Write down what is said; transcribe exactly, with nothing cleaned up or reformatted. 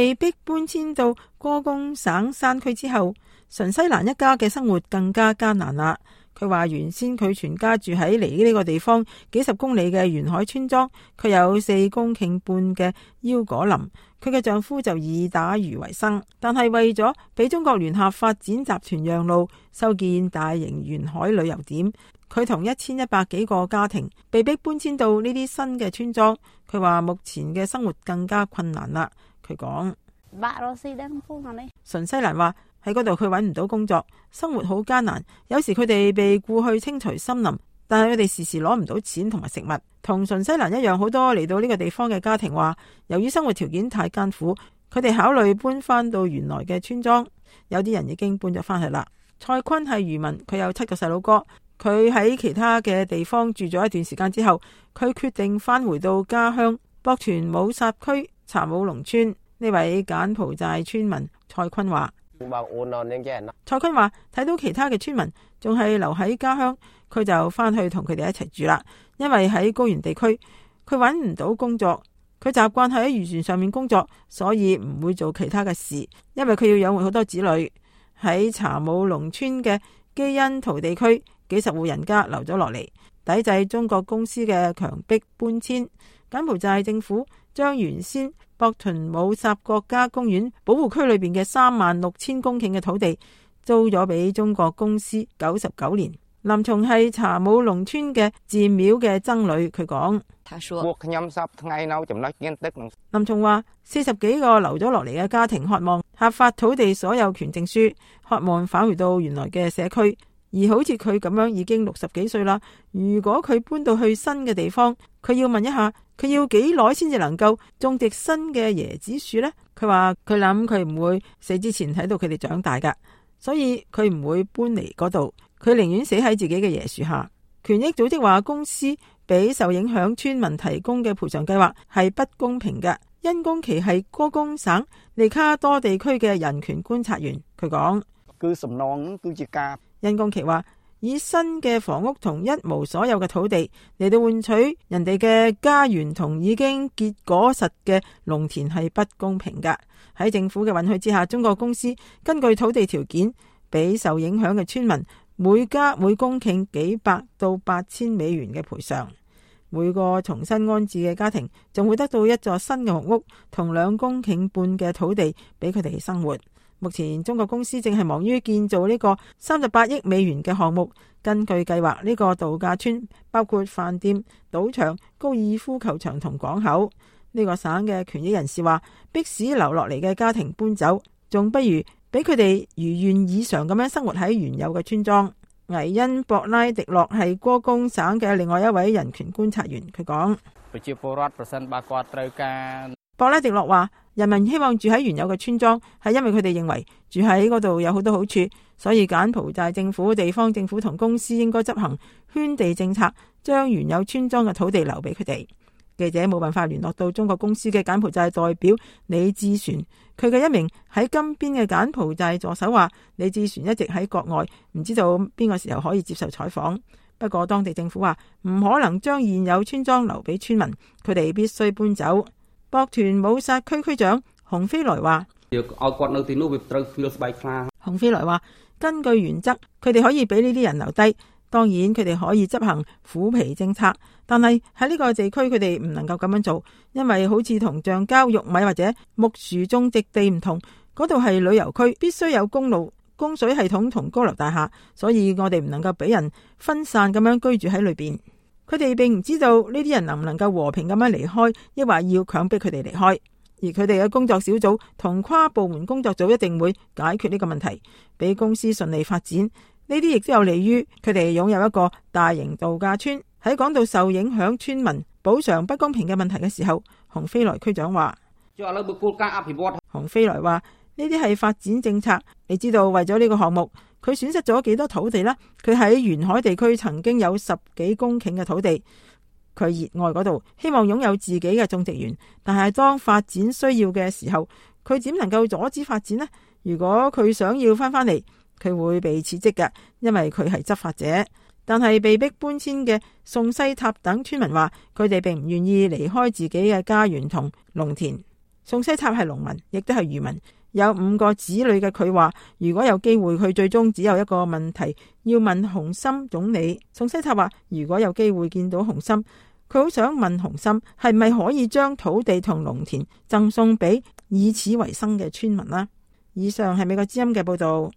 被逼搬遷到歌功省山區之後，純西蘭一家嘅生活更加艱難啦。佢話原先佢全家住喺離呢個地方幾十公里嘅沿海村莊，佢有四公頃半嘅腰果林，佢嘅丈夫就以打魚為生。但係為咗俾中國聯合發展集團讓路，修建大型沿海旅遊點，佢同一千一百幾個家庭被逼搬遷到呢啲新嘅村莊。佢話目前嘅生活更加困難啦。佢講，純西蘭話喺嗰度佢揾唔到工作，生活好艱難。有時佢哋被僱去清除森林，但係佢哋時時攞唔到錢同埋食物。同純西蘭一樣，好多嚟到呢個地方嘅家庭話，由於生活條件太艱苦，佢哋考慮搬翻到原來嘅村莊。有啲人已經搬咗翻去啦。蔡坤係漁民，佢有七個細佬哥。佢喺其他嘅地方住咗一段時間之後，佢決定翻回到家鄉博屯武薩區查武龍村。呢位柬埔寨村民蔡坤話，蔡坤話睇到其他嘅村民仲係留喺家鄉，佢就翻去同佢哋一齊住啦。因為喺高原地區，佢揾唔到工作，佢習慣喺漁船上面工作，所以唔會做其他嘅事。因為佢要養活好多子女。喺查武龍村嘅基恩圖地區，幾十戶人家留咗落嚟，抵制中國公司嘅強迫搬遷。柬埔寨政府將原先博屯武薩國家公園保護區裏邊嘅三萬六千公頃嘅土地租咗俾中國公司九十九年。林松係查武龍村嘅寺廟嘅僧侶，佢講，林松話四十幾個留咗落嚟嘅家庭渴望合法土地所有權證書，渴望返回到原來嘅社區。而好似佢咁樣已經六十幾歲啦，如果佢搬到去新嘅地方，佢要問一下，佢要幾耐先至能夠種植新嘅椰子樹呢？佢話佢諗佢唔會死之前睇到佢哋長大噶，所以佢唔會搬嚟嗰度，佢寧願死喺自己嘅椰樹下。權益組織話公司俾受影響村民提供嘅賠償計劃係不公平嘅。殷公奇係歌功省利卡多地區嘅人權觀察員，佢講，殷公奇話以新嘅房屋同一無所有嘅土地嚟到換取人哋嘅家園同已經結果實嘅農田係不公平噶。喺政府嘅允許之下，中國公司根據土地條件俾受影響嘅村民每家每公頃幾百到八千美元嘅賠償。每個重新安置嘅家庭仲會得到一座新嘅木屋同兩公頃半嘅土地俾佢哋生活。目前中國公司正係忙於建造呢個三十八億美元嘅項目。根據計劃，呢個度假村包括飯店、賭場、高爾夫球場同港口。呢個省嘅權益人士話，迫使留落嚟嘅家庭搬走，仲不如俾佢哋如願以償咁樣生活喺原有嘅村莊。維恩博拉迪諾係歌功省嘅另外一位人權觀察員，佢講，博拉迪諾話，人民希望住喺原有嘅村莊，係因為佢哋認為住喺嗰度有好多好處，所以柬埔寨政府、地方政府同公司應該執行圈地政策，將原有村莊嘅土地留俾佢哋。記者冇辦法聯絡到中國公司嘅柬埔寨代表李志璇，佢嘅一名喺金邊嘅柬埔寨助手話，李志璇一直喺國外，唔知道邊個時候可以接受採訪。不過當地政府話唔可能將現有村莊留俾村民，佢哋必須搬走。博屯武薩區區長洪飛來話，洪飛來話，根據原則，佢哋可以俾呢啲人留低，當然佢哋可以執行虎皮政策，但係喺呢個地區佢哋唔能夠咁樣做，因為好似同橡膠、玉米或者木樹種植地唔同，嗰度係旅遊區，必須有公路、供水系統同高樓大廈，所以我哋唔能夠俾人分散咁樣居住喺裏邊。佢哋並唔知道呢啲人能唔能夠和平咁樣離開，抑或要強迫佢哋離開。而佢哋嘅工作小組同跨部門工作組一定會解決呢個問題，俾公司順利發展。呢啲亦都有利於佢哋擁有一個大型度假村。喺講到受影響村民補償不公平嘅問題嘅時候，洪飛來區長話，洪飛來話呢啲係發展政策。你知道為咗呢個項目，佢損失咗幾多土地啦？佢喺沿海地區曾經有十幾公頃嘅土地，佢熱愛嗰度，希望擁有自己嘅種植園。但係當發展需要嘅時候，佢點能夠阻止發展呢？如果佢想要翻返嚟，佢會被撤職嘅，因為佢係執法者。但係被逼搬遷嘅宋西塔等村民話，佢哋並唔願意離開自己嘅家園同農田。宋西塔係農民，亦都係漁民，有五個子女嘅佢話，如果有機會，佢最終只有一個問題要問洪森總理。宋西塔話，如果有機會見到洪森，佢好想問洪森係咪可以將土地同農田贈送俾以此為生嘅村民啦。以上係美國之音嘅報道。